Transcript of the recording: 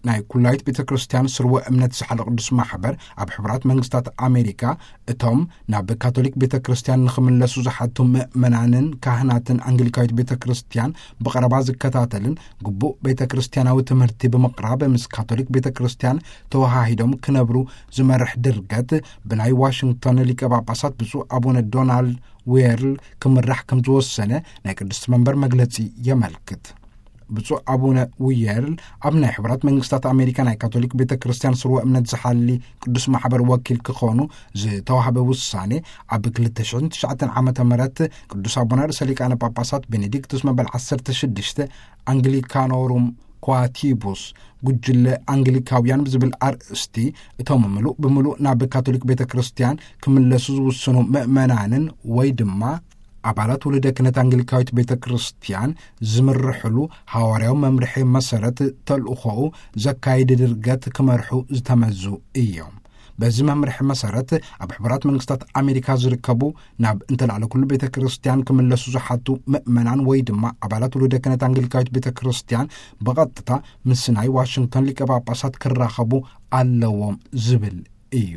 ናይ ኩላዊት ቤተ ክርስቲያን ስርወ እምነት ዝሓለ ቅዱስ ማሕበር፣ ኣብ ሕቡራት መንግስታት ኣሜሪካ እቶም ናብ ካቶሊክ ቤተ ክርስቲያን ንኽምለሱ ዝሓቱ ምእመናንን ካህናትን ኣንግሊካዊት ቤተ ክርስቲያን ብቐረባ ዝከታተልን፣ ግቡእ ቤተ ክርስቲያናዊ ትምህርቲ ብምቕራብ ምስ ካቶሊክ ቤተ ክርስቲያን ተወሃሂዶም ክነብሩ ዝመርሕ ድርገት፣ ብናይ ዋሽንግቶን ሊቀ ጳጳሳት ብፁዕ ኣቡነ ዶናልድ ዌርል ክምራሕ ከም ዝወሰነ ናይ ቅድስቲ መንበር መግለጺ የመልክት። ብፁዕ ኣቡነ ውየርል ኣብ ናይ ሕቡራት መንግስታት ኣሜሪካ ናይ ካቶሊክ ቤተ ክርስቲያን ስርወ እምነት ዝሓሊ ቅዱስ ማሕበር ወኪል ክኾኑ ዝተዋህበ ውሳኔ፣ ኣብ ክልተ ሽሕን ትሽዓተን ዓመተ ምህረት ቅዱስ ኣቡነ ርእሰ ሊቃነ ጳጳሳት ቤኔዲክቱስ መበል ዓሰርተ ሽዱሽተ ኣንግሊካኖሩም ኳቲቡስ፣ ጉጅለ ኣንግሊካውያን ብዝብል ኣርእስቲ፣ እቶም ምሉእ ብምሉእ ናብ ካቶሊክ ቤተ ክርስቲያን ክምለሱ ዝውስኑ ምእመናንን ወይ ድማ ኣባላት ውሉደ ክህነት ኣንግሊካዊት ቤተ ክርስቲያን ዝምርሕሉ ሃዋርያዊ መምርሒ መሰረት ተልእኾኡ ዘካይድ ድርገት ክመርሑ ዝተመዙ እዮም። በዚ መምርሒ መሰረት፣ ኣብ ሕቡራት መንግስታት ኣሜሪካ ዝርከቡ ናብ እንተላዕለ ኩሉ ቤተ ክርስቲያን ክምለሱ ዝሓቱ ምእመናን ወይ ድማ ኣባላት ውሉደ ክህነት ኣንግሊካዊት ቤተ ክርስቲያን ብቐጥታ ምስ ናይ ዋሽንግቶን ሊቀ ጳጳሳት ክራኸቡ ኣለዎም ዝብል እዩ።